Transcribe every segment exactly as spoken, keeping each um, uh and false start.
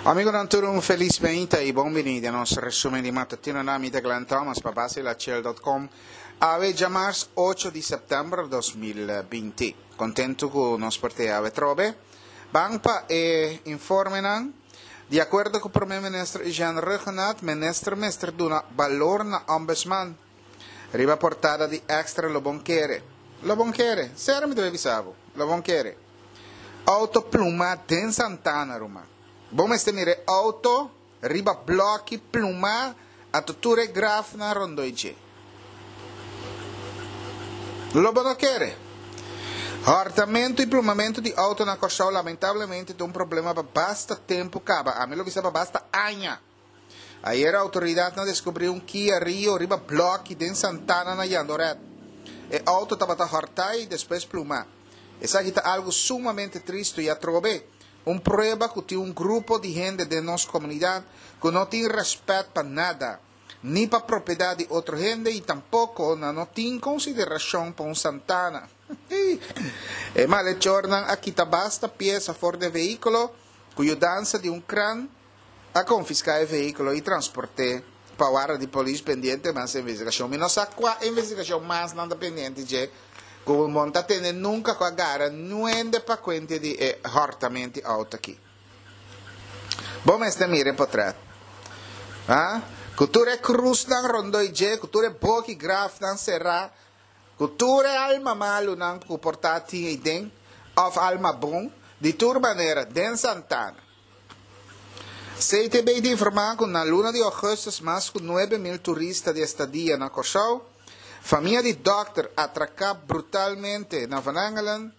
Amigonan tur un felis meinta y bon bini den nos resumen di matutino na mi ta Glenn Thomas pa Basilachel dot com awe djamars ocho di september dos mil binti. Contento cu nos por te awe trobe. Ban pa e informenan. Di acuerdo cu Prome Minister Eugene Rhuggenaath, Minister mester duna balor na Ombudsman. Riba portada di Extra lo bon kere. Lo bon kere. Sero mi debe bisa bo. Lo bon kere. Auto pluma den Santana, ruma. Bo mester mira e auto riba bloki pluma anto tur e grafnan rondoi dje. Lo bo no kere. Hòrtamentu i plumamentu di auto na Kòrsou lamentablemente ta un problema pa basta tempu kaba, ami lo bisa pa basta aña. Ayera outoridatnan deskubrí un Kia Rio riba blòki den Santana na Jandoret. E outo tabata hòrtá i despues plumá. Esaki ta algu sumamente tristu i atrobe un prueba ku tin un grupo di hende den nos komunidat ku no tin rèspèt pa nada, ni pa propiedat di otro hende i tampoko nan no tin konsiderashon pa un santana. E malechornan a kita basta piesa for di e vehíkulo ku yudansa di un kran. A konfiská e vehíkulo i transport'é pa warda di polis pendiente mas investigashon. Mi no sa kua investigashon mas nan ta pendiente dje ku bo no ta tende nunka ku a gara nuende pa kuente di e hòrtament di outo aki. Bo mester mira e potrèt. Ha? Ku tur e krusnan rondoi dje, ku tur e boki grafnan será, ku tur e alma malunan ku por ta tin eiden, òf alma bon, di tur manera, den Santana. C T B ta informá ku na luna di ougùstùs mas ku nuebe mil turista di estadia na Kòrsou. Famia di dòkter atraká brutalmente na Van Engelen.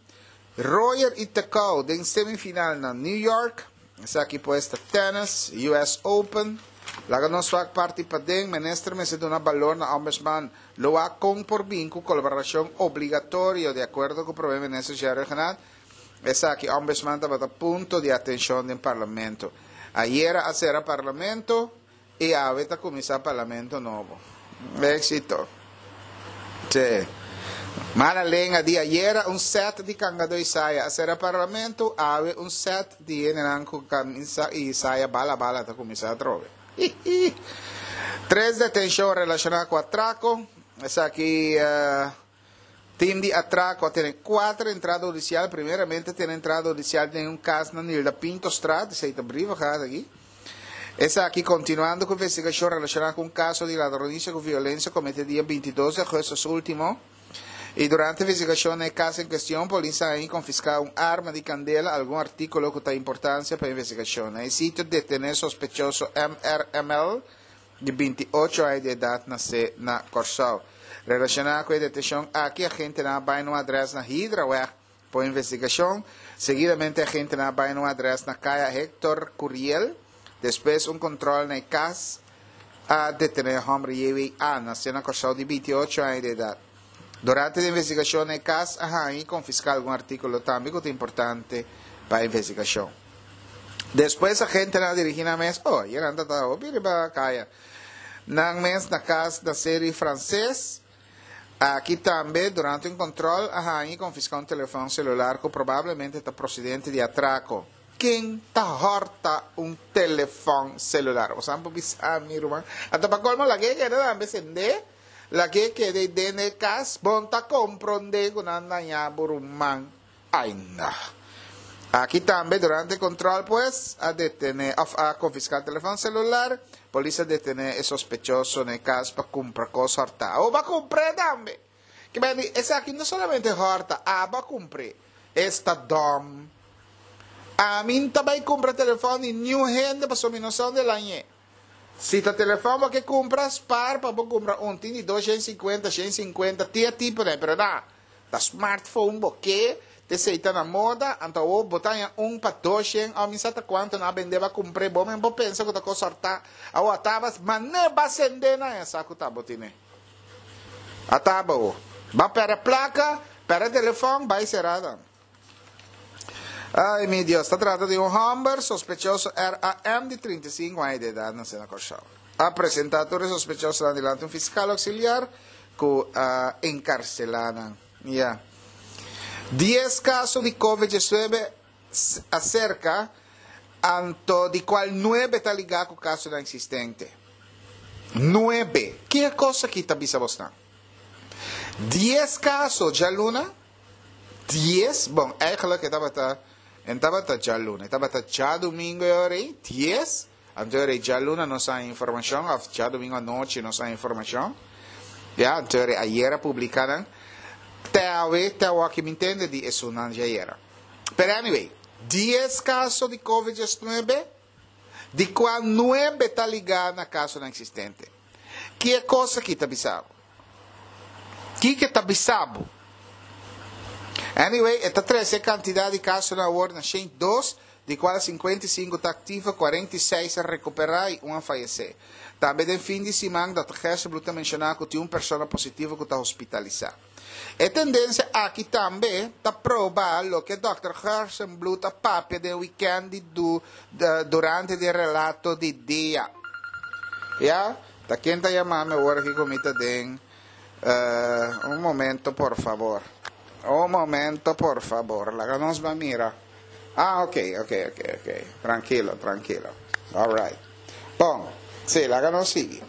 Royer i Tecau den semifinal na New York. Esaki pues ta tènis, U S Open. Laga nos wak parti paden, minister mester duna balor na Ombudsman. Lo wak kon por bin ku kolaborashon obligatorio di akuerdo ku Prome Minister Jerry Rhuggenaath. Esaki Ombudsman tabata punto di atenshon den Parlamento. Ayera a sera Parlamento y awe ta cuminsa Parlamento nobo. Exito. Che. Mala lenga di ayera un set di cangado Isaya a sera Parlamento, awe un set di hendenan cu camisa y Isaya bala bala ta cuminsa atrobe. Tres detencion relaciona cu atraco. Esaki, eh, Team di atraco a tene kuater entrada hudicial. Primeramente tene entrada hudicial den un cas na Nilda Pintostraat, esey ta Brievengat aki. Esaki continuando cu investigacion relaciona cu un caso di ladronicia cu violencia cometi dia bintidos di augustus ultimo. Y durante investigacion na e cas en cuestion, polis a haña y confisca un arma di candela, algun articulo cu ta importancia pa investigacion. Na e sitio detene sospechoso M R M L, di binti ocho aña di edat nasé na Kòrsou. Relashoná ku e detenshon aki agentenan a bai na un adrès na Hydraweg pa investigashon. Seguidamente agentenan a bai na un adrès na Kaya Hector Curiel. Despues un kontròl na e kas a detené e hòmber J W A, nasé na Kòrsou di binti ocho aña di edat. Durante di investigashon na e kas a haña i konfiská algun artíkulo tambe ku ta importante pa investigashon. Despues agentenan a dirigí nan mes, oh, yenan ta ta hopi riba kaya. Nan mes na kas na Seri Franses. Aki tambe, durante un kontrol, a haña i konfiská un telefòn selular ku probablemente ta prosedente di atrako. Ken ta hòrta un telefòn selular? Bo sa por bisa mi, ruman. Anto pa kolmo lag'é keda tambe sendé, lag'é keda ei den e kas, bon ta komprondé ku nan dañá bo ruman. Ai no. Aki tambe durante control pues a detene of a confisca telefon celular. Polis a detene e sospechoso na e cas pa cumpra cos horta. Abo ba cumpr'e tambe. Ke men di esaki no solamente horta, abo a cumpr'e. Esta dom. Ami n'ta bay cumpra telefon di niun hende pasobra mi no sa unda el a ñe. Si ta telefon bo ke cumpra, spaar pa bo cumpra un. Tin di dos shen cincuenta, shen cincuenta, tin e tipo den, pero na. Ta smartphone bo ke, t'esei ta na moda, anto awor bo ta haña un pa dos shen òf mi sa ta kuantu nan a bende bo a kumpr'é, bo men bo pensa ku ta kos sòrtá, awor a taba manera ba sendé nan haña sa ku ta bo tine. A taba awor. Ba pèrdè plaka, pèrdè telefòn, bai será dan. Ai mi Dios, ta trata di un hòmber sospechoso R A M di trinta i sinku aña di edat nasé na Kòrsou. A presentá tur e sospechosonan dilanti un fiskal ouksiliar ku a enkarselá nan. Ya. Dies kaso di covid diesnuebe aserka Anto di kual nuebe ta ligá ku kasonan eksistente. Nuebe. Ki e kos aki ta bisa bosnan? Dies kaso djaluna, dies, bon, eigenlijk e tabata, e tabata djaluna, e tabata djadumingu e ora ei, dies, anto e ora ei djaluna nos a haña informashon, òf djadumingu anochi nos a haña informashon, ya, anto e ora ei ayera publiká nan, te awe, te awoki mi ntende di esunnan djayera. Pero anyway, dies kaso di Covid diesnuebe, di kua nuebe ta ligá na kasonan eksistente. Ki e kos aki ta bisa bo? Kiko ta bisa bo? Anyway, e ta trese e kantidat di kasonan awor na shen dos, di kual sinkuenta i sinku ta aktivo, kuarenta i seis a rekuperá i un a fayesé. Tambe den fin di siman, Dòkter Gerstenbluth ta menshoná ku tin un persona positivo ku ta hospitalisá. E tendensia aki tambe ta proba loke Dòkter Gerstenbluth a papia den wikènt di durante di e relato di dia. Ya, ta ken ta yama mi awor aki ku mi ta den un momento por fabor. Un momento por fabor. Laga nos ban mira. Ah, ok, ok, ok, ok. Trankilo, trankilo. Alright. Bon, si, laga nos sigui.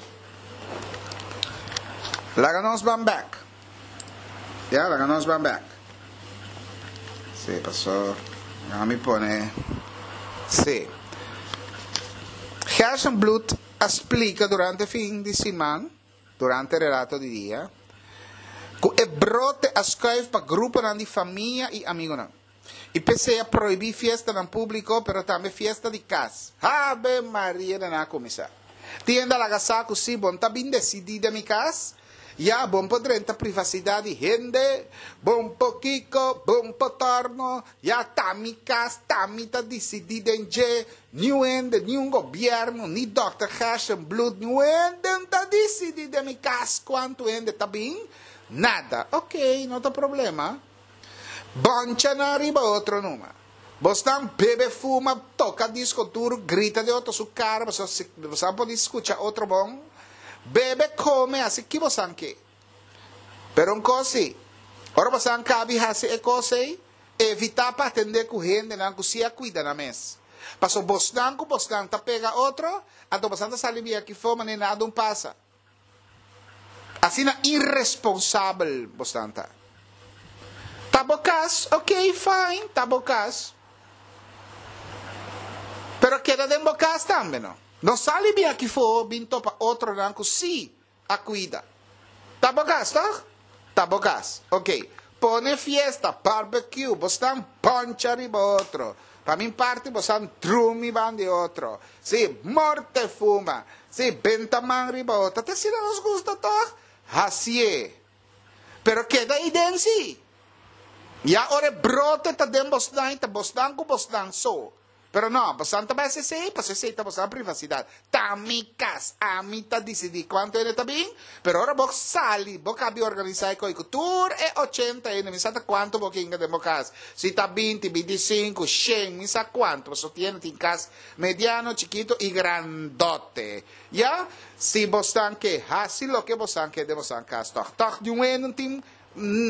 Laga nos ban bek. Ya, laga nos ban bek. Si, paso, laga mi pone, si. Gerstenbluth a splika durante fin di siman, durante relato di dia, ku e brote a skuif pa gruponan di famia i amigunan. I p'esei a prohibí fiestanan públiko, pero tambe fiesta di kas. Ave Maria nan a kuminsá. Tin hende a laga sa ku si bon ta bin desidí den mi kas, ya bon por drenta privasidat di hende, bon por kiko, bon por tòrno, ya ta mi kas, ta mi ta disidí den dje, niun hende, niun gobièrnu, ni dòkter Gerstenbluth, niun hende no ta disidí den mi kas kuantu hende ta bin, nada. Oké, no ta problema. Boncha nan riba otro numa. Bosnan bebe, fuma, toka disko duru, grita den otro su kara pasobra bosan por di skucha otro bon. Bebe, kome, hasi ki bosan ke. Pero un kos si, ora bosan kabi hasi e kos ei, evita pa atende ku hendenan ku si a kuida nan mes. Pasobra bosnan ku bosnan ta pega otro, anto bosan ta sali bia kifo manera nada un pasa. Asina irresponsabel bosnan ta. Ta bo kas, ok, fine, ta bo kas. Pero keda den bo kas tambe no. No sali bin aki for bin topa otronan ku sí a kuida. Ta bo kas, tòg? Ta bo kas, ok. Pone fiesta, barbecue, bosnan poncha riba otro. Pa mi parti bosnan drumi ban di otro. Sí, morte fuma. Sí, benta man riba otro. Ta asina nos gusta tòg? Hasié. Pero keda ei den sí. Ya ora e brote ta den bosnan i ta bosnan ku bosnan so. Pero no, bosnan ta bai hasi esei pasobra esei ta bosnan privasidat. Ta mi kas, ami ta disidí kuantu hende ta bin, pero ora bo sali, bo kabi organisá e koi ku tur e ochenta hende, mi sa ta kuantu bo kinga den bo kas, si ta binti, binti i sinku, shen, mi sa kuantu, pasobra tin hende tin kas mediano, chikitu i grandote. Ya, si bosnan ke hasi loke bosnan ke den bosnan kas tòg. Tòg di un hende no tin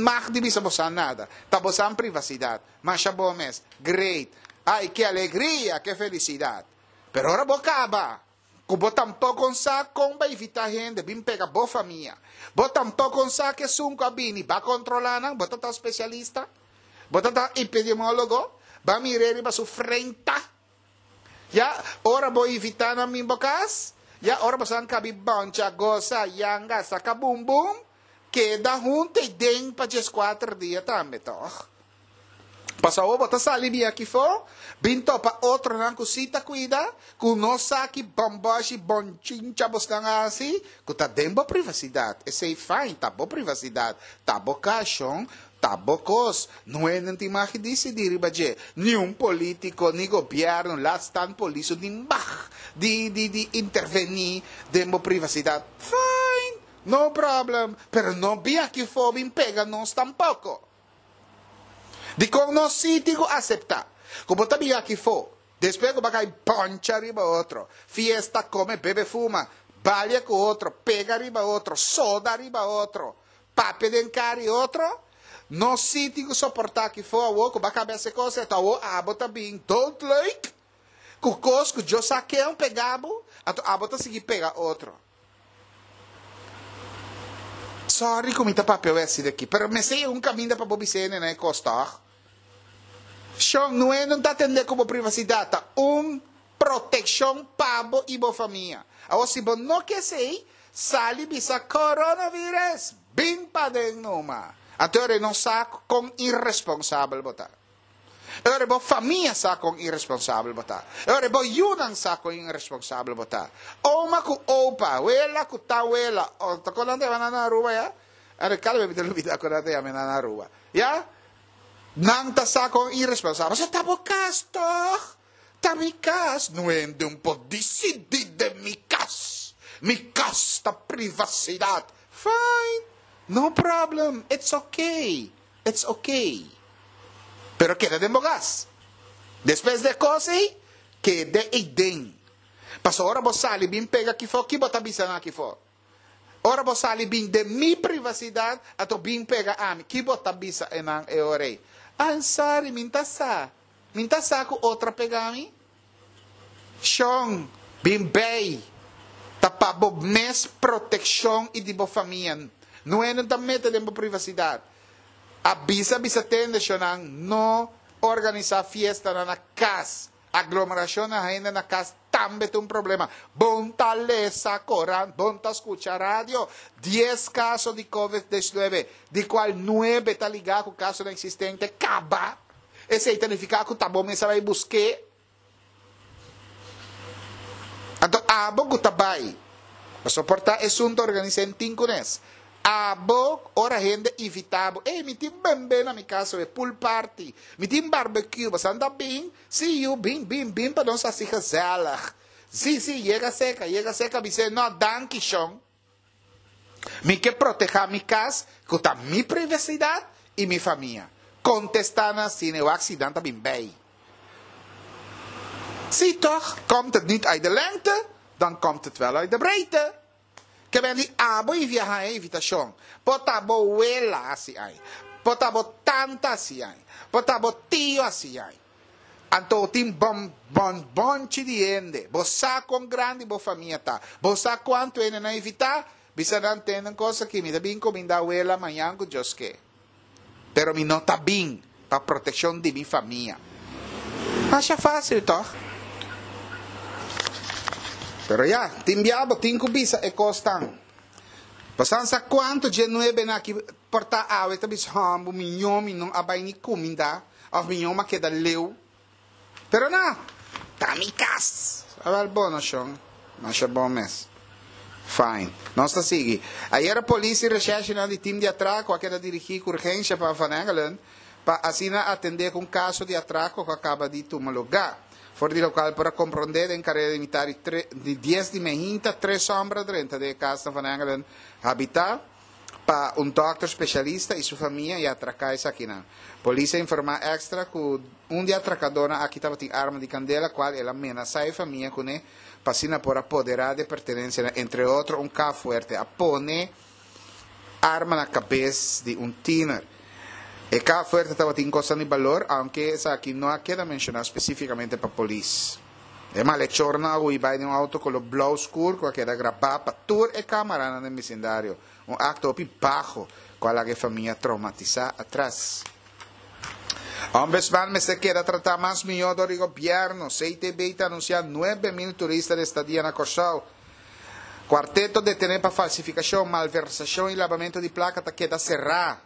mag di bisa bosan nada. Ta bosan privasidat. Masha bo mes. Great. Ay, ke alegria, ke felisidat! Pero ora bo kaba, ku bo tampoko sa kon ba invitá hende bin pega bo famia, bo tampoko sa ku esun ku a bini ba kontrolá nan, bo ta ta spesialista? Bo ta ta epidemiólogo? Ba mir'é riba su frenta? Ya, ora bo invitá nan bin bo kas, ya ora boso a kabi bòncha, gosa, yanga, saka bum bum, keda huntu ei den pa dieskuater dia tambe, tòg? Pasobra bo ta sali di aki fo, bin topa otronan ku sí ta kuida, ku no sa ki bòmbòshi bònchincha bosnan a hasi, ku ta den bo privasidat. Esei fine, ta bo privasidat, ta bo kashon, ta bo kos. No hende tin mag di disidí riba dje, ni un polítiko, ni gobièrnu, laat staan polis, no tin mag di di di intervení den bo privasidat. Fine, no problem, pero no bin aki fo bin pega nos tampoko. Dikon nos sí tin ku aseptá ku bo ta bin aki fo, despues ku bo a kai poncha riba otro, fiesta, kome, bebe, fuma, balia ku otro, pega riba otro, soda riba otro, papia den kara di otro? Nos sí tin ku soportá aki fo awor ku bo a kaba hasi e kos ei, ta awor abo ta bin doodleuk? Ku kos ku Dios sa ken pega bo, anto abo ta sigui pega otro. Sorry ku mi ta papia wesi di aki, pero mester un kaminda pa bo bisa hende nan e kos tòg? Shon, no e no ta atendé ku bo privasidat, ta un protekshon pa bo i bo famia. Awor si bo no ke esei, sali bisa coronavirus, bin paden numa. Anto e ora no sa kon iresponsabel bo ta. E ora bo famia sa kon iresponsabel bo ta. E ora bo yunan sa kon iresponsabel bo ta. Oma ku opa, wela ku tawela, o ta kon nan ta yama nan na Aruba ya? Are kada bes mi ta lubida kon nan ta yama nan na Aruba. Ya? Nan ta sa kon iresponsabel. Pasobra ta bo kas tòg? Ta mi kas. No hende un por disidí den mi kas. Mi kas ta privasidat. Fine. No problem. It's okay. It's okay. Pero keda den bo kas. Despues di e kos ei, keda eiden. Pasobra ora bo sali bin pega akifó, ki bo ta bisa nan akifó? Ora bo sali bin den mi privasidat, anto bin pega ami, ki bo ta bisa enan e ora ei? I'm sorry, mi n'ta sa. Mi n'ta sa ku otro a pega mi. Shon, bin bei. Ta pa bo mes protekshon i di bo famia. No hende ta mete den bo privasidat. A bisa bisa tende shonnan no organisá fiestanan na kas. Aglomerashon na hende na kas tambe ta un problema. Bon ta lesa korant, bon ta skucha radio. Dies kaso di covid diesnuebe, di kual nuebe ta ligá ku kasonan eksistente kaba. Esei ta nifiká ku ta bo mes a bai busk'é. Anto abo ku ta bai pa soportá esun ta organisá en tin kunes. Abo ora hende invitá bo, ey mi tin bembe na mi kas awe, pool party, mi tin barbecue, boso ta bin? Sí yu, bin, bin, bin pa nos hasi gezellig. Sí, sí, yega seka, yega seka, bis'é, no, danki shon. Mi ke protehá mi kas ku ta mi privasidat i mi famia. Kontestá nan asina e wak si nan ta bin bei. Sí toch, komt het niet uit de lengte, dan komt het wel uit de breedte. Ke men di abo i viaha e invitashon. Por ta bo wela hasi ai. Por ta bo tanta hasi ai. Por ta bo tio hasi ai. Anto tin bon bon bonchi di hende. Bo sa kon grandi bo famia ta. Bo sa kuantu hende nan invitá? Bisa nan tende un kos aki, mi ta bin kuminda wela mañan ku Dios ke. Pero mi no ta bin pa protekshon di mi famia. Masha fásil tòg? Pero ya, tin bia bo tin ku bisa e kosnan. Bo san sa kuantu dje nuebenan aki por ta awe ta bisa, Hòmbu, miñó mi no a bai ni kuminda, òf miñó mi a keda leu. Pero na, ta mi kas! Awèl bo, no shon. Masha bon mes. Fine. Nos ta sigui. Ayera polis i reshèrshinan di tim di atrako a keda dirigí ku urgensha pa Van Engelen pa asina atendé ku un kaso di atrako ku a kaba di tuma lugá. For di lokual por a komprondé den kareda di mitar di tre di dies di mehinta tres hòmber a drenta den e kas na Van Engelen habitá pa un dòkter spesialista i su famia i a atraká esakinan. Polis a informá Extra ku un di atrakadónan aki tabatin arma di kandela kual el a menasá e famia kuné pa asina por a poderá di e pertenensianan, entre otro un kaf fuerte. A pone arma na kabes di un tiner. E kaf fuerte tabatin kosnan di balor, aunke esaki no a keda menshoná spesífikamente pa polis. E malechornan a hui bai den un outo koló blou skur ku a keda grabá pa tur e kámaranan den bisindario. Un akto hopi baho ku a laga e famia traumatisá atras. Ombudsman mester keda tratá mas mihó dor di gobièrnu. C T B ta anunsiá nuebe mil turista di estadia na Kòrsou. Kuarteto detené pa falsifikashon, malversashon i labamentu di plaka ta keda será.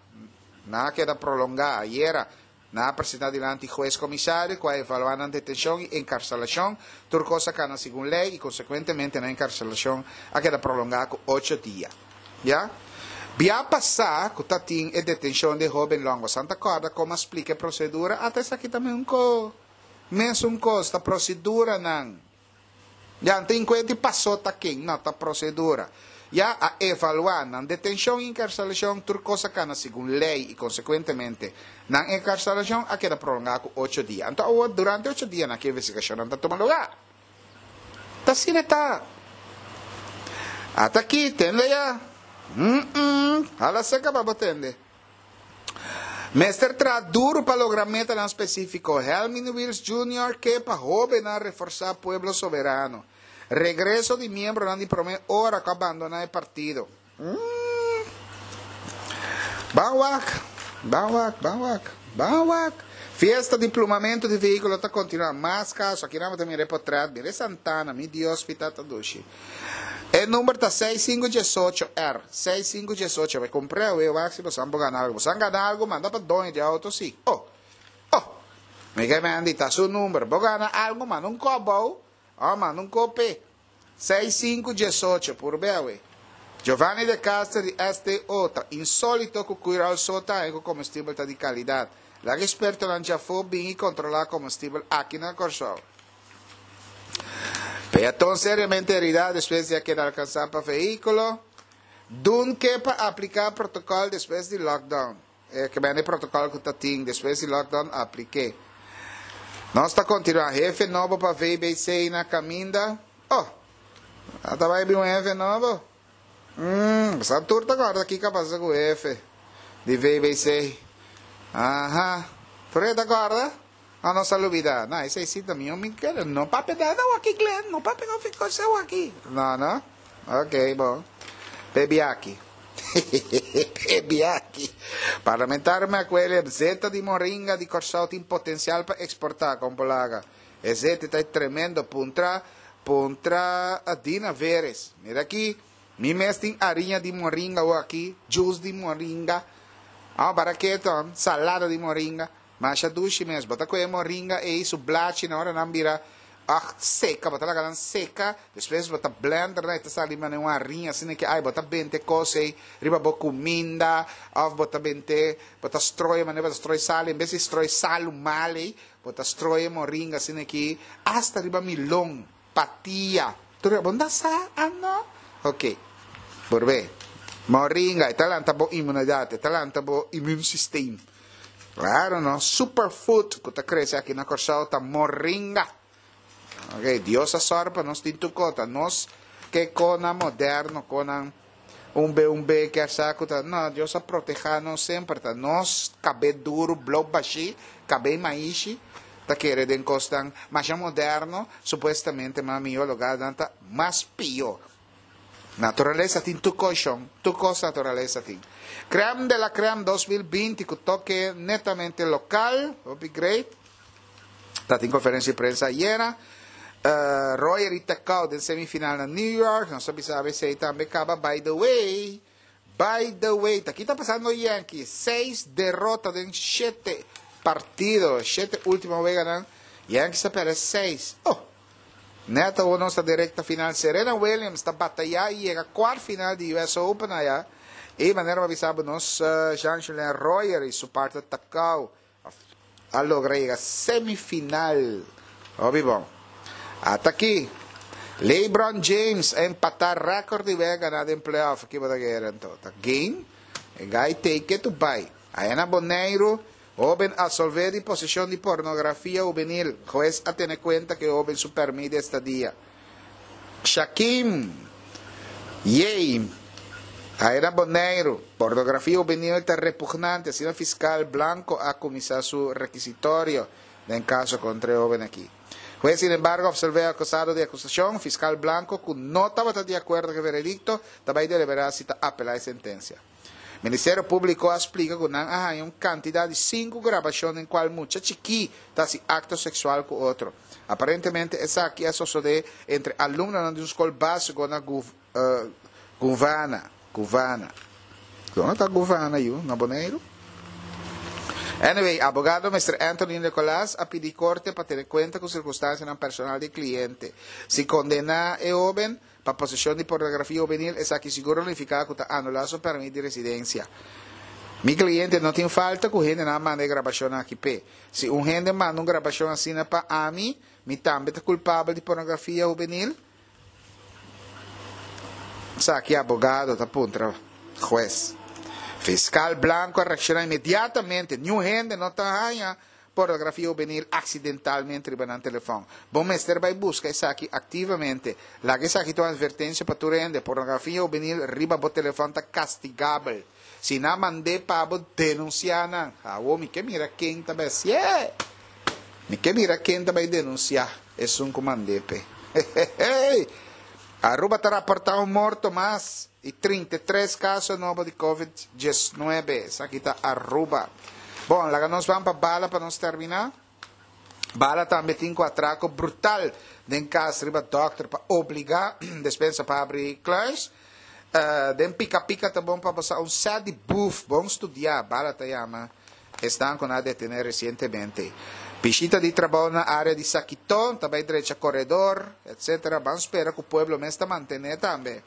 Nan a keda prolongá ayera. Nan a presentá dilanti hues komisario ku a evaluá nan detenshon i enkarselashon. Tur kos a kana segun lei i konsekuentemente nan enkarselashon a keda prolongá ku ocho dia. Ya. Bia pasá ku ta tin e detenshon di e hóben Longo Santa kòrda komo a splika e prosedura, ata esaki ta un ko mesun kos, ta proseduranan. Ya, no tin kuenta di pasó ta ken, no, ta prosedura. Ya a evaluá nan detenshon i enkarselashon, tur kos a kana segun lei i konsekuentemente nan enkarselashon a keda prolongá ku ocho dia. Anto awor durante ocho dianan ki investigashonnan ta tuma lugá. Ta asina ta. Ata aki, tende ya. Mm-mm, hala seka pa bo tende. Mester traha duru pa logra metanan spesífiko. Helmin Wiels Junior ke pa hóbennan reforsá Pueblo Soberano. Regreso di miembronan di promé ora ku a bandoná e partido. Mm. Ban wak, ban wak, ban wak, ban wak. Fiesta di plumamentu di vehíkulo ta kontinuá. Mas kaso, aki nan bo ta mira e potrèt, mira e Santana, mi Dios, mi Tata dushi. E number ta seis sinku diesocho R, seis sinku diesocho. Bai kumpr'é awe, wak si boso por gana algu. Boso gana algu, manda pa doño di outo si. Oh, oh, mi ke mandi ta su number. Bo gana algu, manda un kòp bou, oh, manda un kope. Seis sinku diesocho, purb'é awe. Giovanni de Castro di S T O ta insólito ku Curoil so ta ku komestibel ta di kalidat. Laga ekspertonan djafó bin i kontrolá komestibel aki na Kòrsou. Peaton seriamente heridá despues di a keda alkansá pa vehíkulo. Dun ke pa apliká protokòl despues di lockdown. Eh, ke bin protokòl ku tin despues di lockdown aplik'é. Nos ta kontinuá. Hefe nobo pa V B C na kaminda. Oh, ta bai un hefe nobo. Hum, sa tur ta kòrda kiko a pasa ku hefe di V B C. Aha. Tur ta kòrda? Ah, no sa lubidá. No, esei sí tambe mi ke. No papia nada aki, Glenn. No papia no fico aki. No, no. Ok, bon. Bebi aki. Bebi aki. Parlamentario Macuele, zeta di moringa di Kòrsou tin potensial pa eksportá kon polaga. E zeta ta tremendo. Puntra, puntra Dina Veres. Mira aki. Mi mes tin hariña di moringa aki, juice di moringa. Ah, baraketo, salada di moringa. Masha dushi mes. Bo ta kue moringa ei su blachi na ora nan bira ah seka, bo ta laga nan seka, despues bo ta blender na, ta sali mane un hariña asina ku ai bo ta bente kos ei riba bo kuminda, òf bo ta bente, bo ta stroi mane bo ta stroi sal, en bes di stroi salu male, bo ta stroi moringa asina aki, hasta riba milon, patia. Tur bo no sa, ah no? Ok. Borbe. Moringa, ta lanta bo inmunidat, ta lanta bo immuunsysteem. Claro, no? Superfood ku ta krese aki na Kòrsou ta moringa. Ok, Dios a sòru pa nos tin tur kos, nos ke kosnan moderno, kosnan un B un B ke saku ta, no, Dios a protehá nos semper, ta nos kabes duru, blo bashí, kabes maishi, ta kere den kosnan mas moderno, supuestamente mas mihó lugá ta mas pió. Naturalesa tin tur kos, tur kos naturalesa tin. Crème de la Crème dos mil binti, ku toke netamente lokal, hopi great. Tabatin konferensia di prensa ayera. Uh, Royer i Tecau den semifinal na New York. Nos sa si tambe kaba. By the way, by the way, aki ta pasando Yankees. Seis derota den shete partido. Shete último wega. Yankees a pèrdè seis. Oh, Neto nos direkta final. Serena Williams ta batayá i yega kuart final di U S Open aya. I manera mi a bisa nos uh, Jean-Julien Royer i su partner Tecau a logra yega semifinal. Hopi bon. Ata aki. LeBron James a empatá rékòrt di wega ganá den playoff. Aki bai ta anto. Ta game. E guy take it to buy. Aya na Boneiru, hóben absolvé di poseshon di pornografia hubenil. Hues a tene kuenta ku hóben su pèrmit di estadia. Shakim. Yei. Aya na Boneiru, pornografia hubenil ta repugnante. Asina fiskal Blanco a kuminsá su rekisitorio den kaso kontra e hóben aki. Hues, sin embargo, absolvé akusado di akusashon. Fiskal Blanco, ku no tabata di akuerdo ku e veredikto, tambe a deliberá si ta apelá e sentensia. Ministerio Públiko a splika ku nan a haña un kantidat di sinku grabashon den kual mucha chikí ta hasi akto seksual ku otro. Aparentemente, esaki a sosodé entre alumno di un skol básiko na Gu, uh, Guvana. Guvana. Unda ta Guvana, yu? Na Boneiru? Anyway, abogado Mister Anthony Nicolás a pidi korte pa tene kuenta ku sirkunstansia personal di kliente. Si kondená e hóben pa poseshon di pornografia hubenil, esaki sigur ta nifiká ku ta anulá su pèrmit di residensia. Mi kliente no tin falta ku hende a manda grabashon aki p'e. Si un hende manda un grabashon asina pa ami, mi tambe ta kulpabel di pornografia hubenil? Esaki abogado ta puntra hues. Fiskal Blanco a reakshoná inmediatamente. Niun hende no ta haña pornografia hubenil aksidentalmente riba nan telefòn. Bo mester bai buska esaki aktivamente. Laga esaki ta un atvertensia pa tur hende. Pornografia hubenil riba bo telefòn ta kastigabel. Si nan mand'é pa bo, denunsiá nan. Awor mi ke mira ken ta bai hasié. Mi ke mira ken ta bai denunsiá esun ku mand'é p'e. Hehehe. Aruba ta raportá un morto mas i trinta i tres kaso nobo di Covid diesnuebe. Esaki ta Aruba. Bon, laga nos ban pa bala pa nos terminá. Bala tambe tin ku atrako brutal den kas riba dòkter pa obligá despensa pa habri kluis. Den pika pika ta bon pa bo sa un sèt di buf bon studiá, Bala ta yama esnan ku nan a detené resientemente. Bishita di trabou na área di Sakiton ta bai drecha koredor, etcetera. Ban spera ku pueblo mes ta mantené tambe.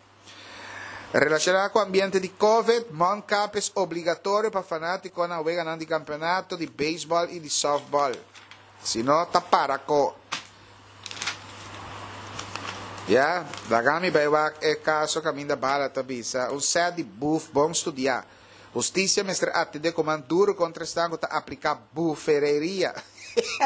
Relashoná ku ambiente di Covid, mondkapjes obligatorio pa fanátikonan weganan di kampeonato di beisbòl i di sòftbòl. Si no, ta para ko. Ya, laga mi bai wak e kaso kaminda bala ta bisa, un sèt di buf bon studiá. Hustisia mester atendé ku man duru kontra esnan ku ta apliká bufereria,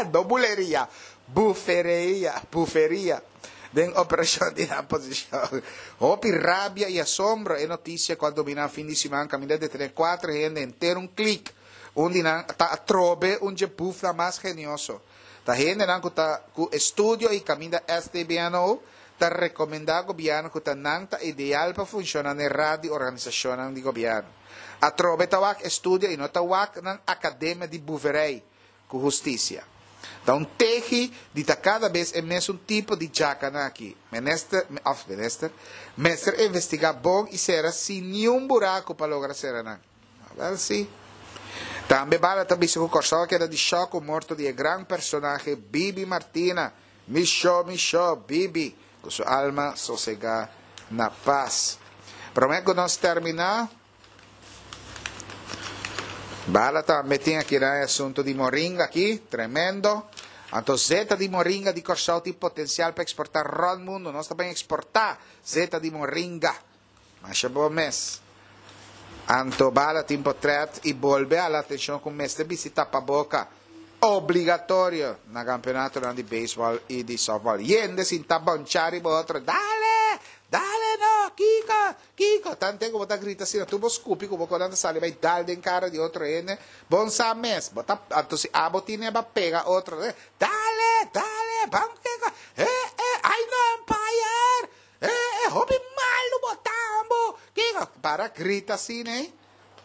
no buleria, bufereia, buferia, den operashon di nan posishon. Hopi rabia i asombro e notisia ku a dominá fin di siman kaminda detené kuater hende henter un klik. Un di nan ta atrobe un dje bufnan mas genioso. Ta hendenan ku ta ku estudio i kaminda S T B N O ta rekomendá gobièrnu ku ta nan ta ideal pa funshoná n'e rad di organisashonnan di gobièrnu. Atrobe ta wak estudio i no ta wak nan akademia di buverei ku hustisia. Ta un tehi di ta kada bes e mesun tipo di djakanan aki. Minister, òf minister, mester investigá bon i sera sin niun buraku pa logra sera nan. Awèl si. Tambe Bala ta bisa ku Kòrsou a keda di shòk ku morto di e gran personahe Bibi Martina. Mi sho, mi sho, Bibi, ku su alma sosegá na pas. Promé ku nos terminá, Bala tambe tin aki na e asuntu di moringa aki, tremendo. Anto zeta di moringa di Kòrsou tin potensial pa eksportá rònt mundu. Nos ta bin eksportá zeta di moringa. Masha bon mes. Anto Bala tin potrèt i bolbe hala atenshon ku mester bisti tapaboka obligatorio na kampeonatonan di beisbòl i di sòftbòl. Yende sinta bonchá riba otro, Dale! Dale no! Kiko! Kiko! Tante ku bo ta grita asina, tur bo skupi ku bo konan ta sali bai dal den kara di otro hende. Bon sa mes. Bo ta, anto si abo tine ba pega otro, Dale! Dale! Ban kiko! Eh, eh! Ai no, umpire! Eh, eh, hopi malu bo ta, ambo! Kiko? Para grita asina, eh?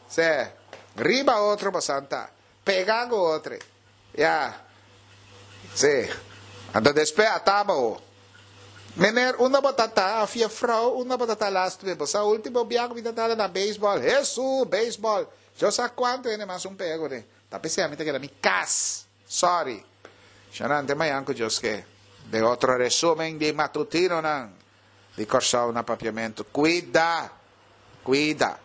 Se, riba otro bo santa. Pega ku otro. Ya. Si. Anto despues a taba ho. Meneer, unda bo ta ta? Of juffrouw, unda bo ta ta laatste bes? Bo sa ultimo bia ku mi ta tala na beisbòl. Hesu, beisbòl! Yo sa kuantu hende mas un pega kuné. Ta p'esei ami ta keda mi kas. Sorry. Shana ante mañan ku Dios ke. Den otro resumen di matutinonan di Kòrsou na Papiamentu. Kuida! Kuida!